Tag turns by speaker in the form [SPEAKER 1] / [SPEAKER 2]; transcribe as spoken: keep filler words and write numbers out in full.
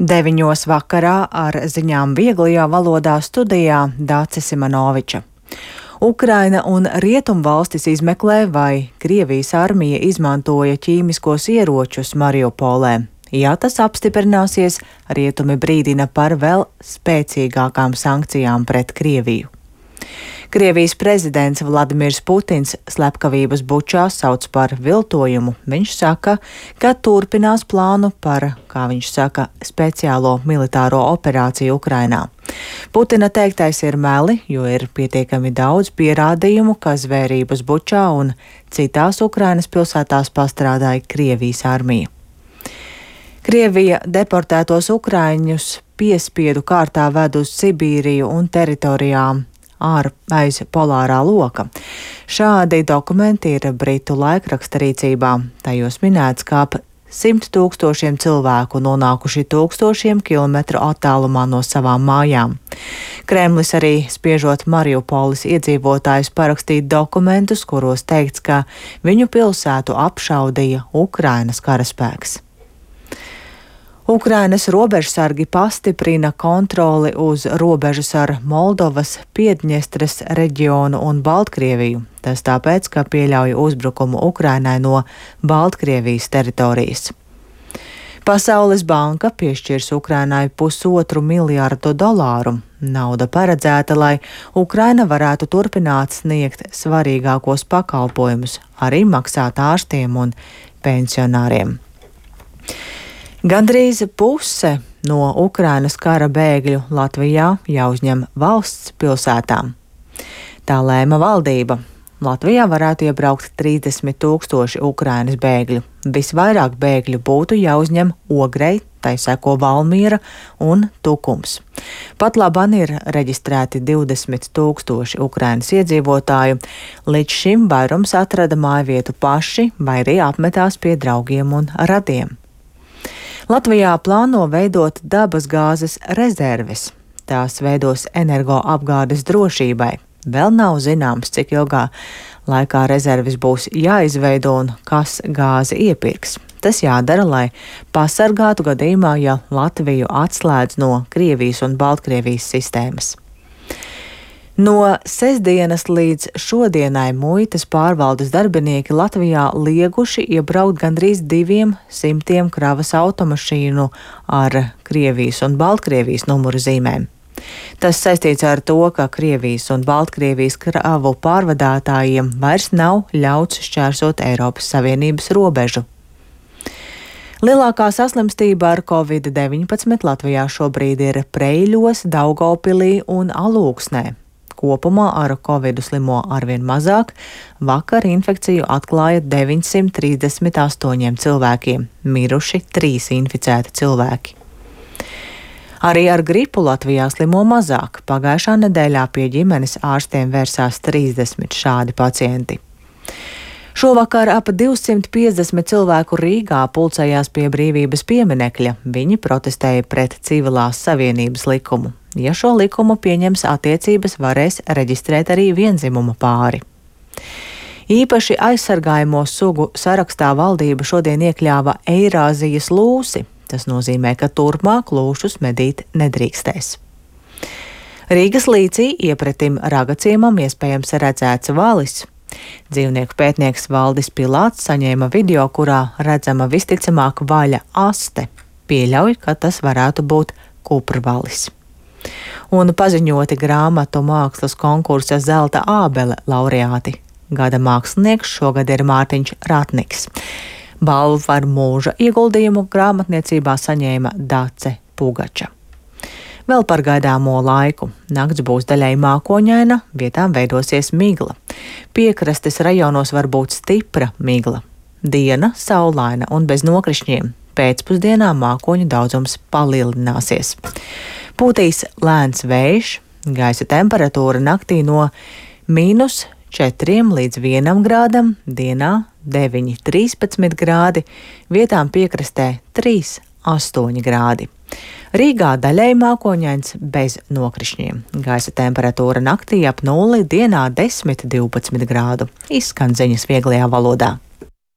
[SPEAKER 1] Deviņos vakarā ar ziņām vieglajā valodā studijā Dāce Simanoviča. Ukraina un Rietumvalstis izmeklē, vai Krievijas armija izmantoja ķīmiskos ieročus Mariupolē. Ja tas apstiprināsies, rietumi brīdina par vēl spēcīgākām sankcijām pret Krieviju. Krievijas prezidents Vladimirs Putins slepkavības Bučā sauc par viltojumu. Viņš saka, ka turpinās plānu par, kā viņš saka, speciālo militāro operāciju Ukrainā. Putina teiktais ir meli, jo ir pietiekami daudz pierādījumu, ka zvērības Bučā un citās Ukrainas pilsētās pastrādāja Krievijas armija. Krievija deportētos ukraiņus piespiedu kārtā ved uz Sibīriju un teritorijām ār aiz polārā loka. Šādi dokumenti ir Britu laikraksta rīcībā. Tajos minēts, ka ap simt tūkstošiem cilvēku nonākuši tūkstošiem kilometru attālumā no savām mājām. Kremlis arī spiežot Mariupoles iedzīvotājus parakstīt dokumentus, kuros teikts, ka viņu pilsētu apšaudīja Ukrainas karaspēks. Ukrainas robežsargi pastiprina kontroli uz robežas ar Moldovas, Piedņestras reģionu un Baltkrieviju. Tas tāpēc, ka pieļauj uzbrukumu Ukrainai no Baltkrievijas teritorijas. Pasaules banka piešķirs Ukrainai pusotru miljārdu dolāru. Nauda paredzēta, lai Ukraina varētu turpināt sniegt svarīgākos pakalpojumus, arī maksāt ārstiem un pensionāriem. Gandrīz puse no Ukrainas kara bēgļu Latvijā jāuzņem valsts pilsētām. Tā lēma valdība. Latvijā varētu iebraukt trīsdesmit tūkstoši Ukrainas bēgļu. Visvairāk bēgļu būtu jāuzņem Ogrei, tai seko Valmiera un Tukums. Pat labāk ir reģistrēti divdesmit tūkstoši Ukrainas iedzīvotāju. Līdz šim vairums atrada mājvietu paši vai arī apmetās pie draugiem un radiem. Latvijā plāno veidot dabasgāzes rezerves. Tās veidos energoapgādes drošībai. Vēl nav zināms, cik ilgā laikā rezerves būs jāizveido un kas gāzi iepirks. Tas jādara, lai pasargātu gadījumā, ja Latviju atslēdz no Krievijas un Baltkrievijas sistēmas. No sestdienas līdz šodienai muitas pārvaldes darbinieki Latvijā lieguši iebraukt gandrīz diviem simtiem kravas automašīnu ar Krievijas un Baltkrievijas numuru zīmēm. Tas saistīts ar to, ka Krievijas un Baltkrievijas kravu pārvadātājiem vairs nav ļauts šķērsot Eiropas Savienības robežu. Lielākā saslimstība ar covid deviņpadsmit Latvijā šobrīd ir Preiļos, Daugavpilī un Alūksnē. Kopumā ar covidu slimo arvien mazāk. Vakar infekciju atklāja deviņsimt trīsdesmit astoņiem cilvēkiem, miruši trīs inficēti cilvēki. Arī ar gripu Latvijā slimo mazāk. Pagājušā nedēļā pie ģimenes ārstiem vērsās trīsdesmit šādi pacienti. Šovakar ap divsimt piecdesmit cilvēku Rīgā pulcējās pie Brīvības pieminekļa. Viņi protestēja pret civilās savienības likumu. Ja šo likumu pieņems, attiecības varēs reģistrēt arī vienzimuma pāri. Īpaši aizsargājamo sugu sarakstā valdība šodien iekļāva Eirāzijas lūsi. Tas nozīmē, ka turpmāk lūšus medīt nedrīkstēs. Rīgas līcī iepretim Ragaciemam iespējams redzēts valis. Dzīvnieku pētnieks Valdis Pilāts saņēma video, kurā redzama visticamāk vaļa aste. Pieļauj, ka tas varētu būt kuprvalis. Un paziņoti grāmatu mākslas konkursa Zelta ābele laureāti. Gada mākslinieks šogad ir Mārtiņš Ratniks. Balvu par mūža ieguldījumu grāmatniecībā saņēma Dace Pugača. Vēl par gaidāmo laiku. Nakts būs daļai mākoņaina, vietām veidosies migla. Piekrastes rajonos var būt stipra migla. Diena saulaina un bez nokrišņiem. Pēcpusdienā mākoņu daudzums palielināsies. Pūtīs lēns vējš, gaisa temperatūra naktī no mīnus četriem līdz vienam grādam, dienā deviņi trīspadsmit grādi, vietām piekrastē trīs astoņi grādi. Rīgā daļai mākoņains bez nokrišņiem. Gaisa temperatūra naktī ap nulli, dienā desmit divpadsmit grādu. Izskan ziņas vieglajā valodā.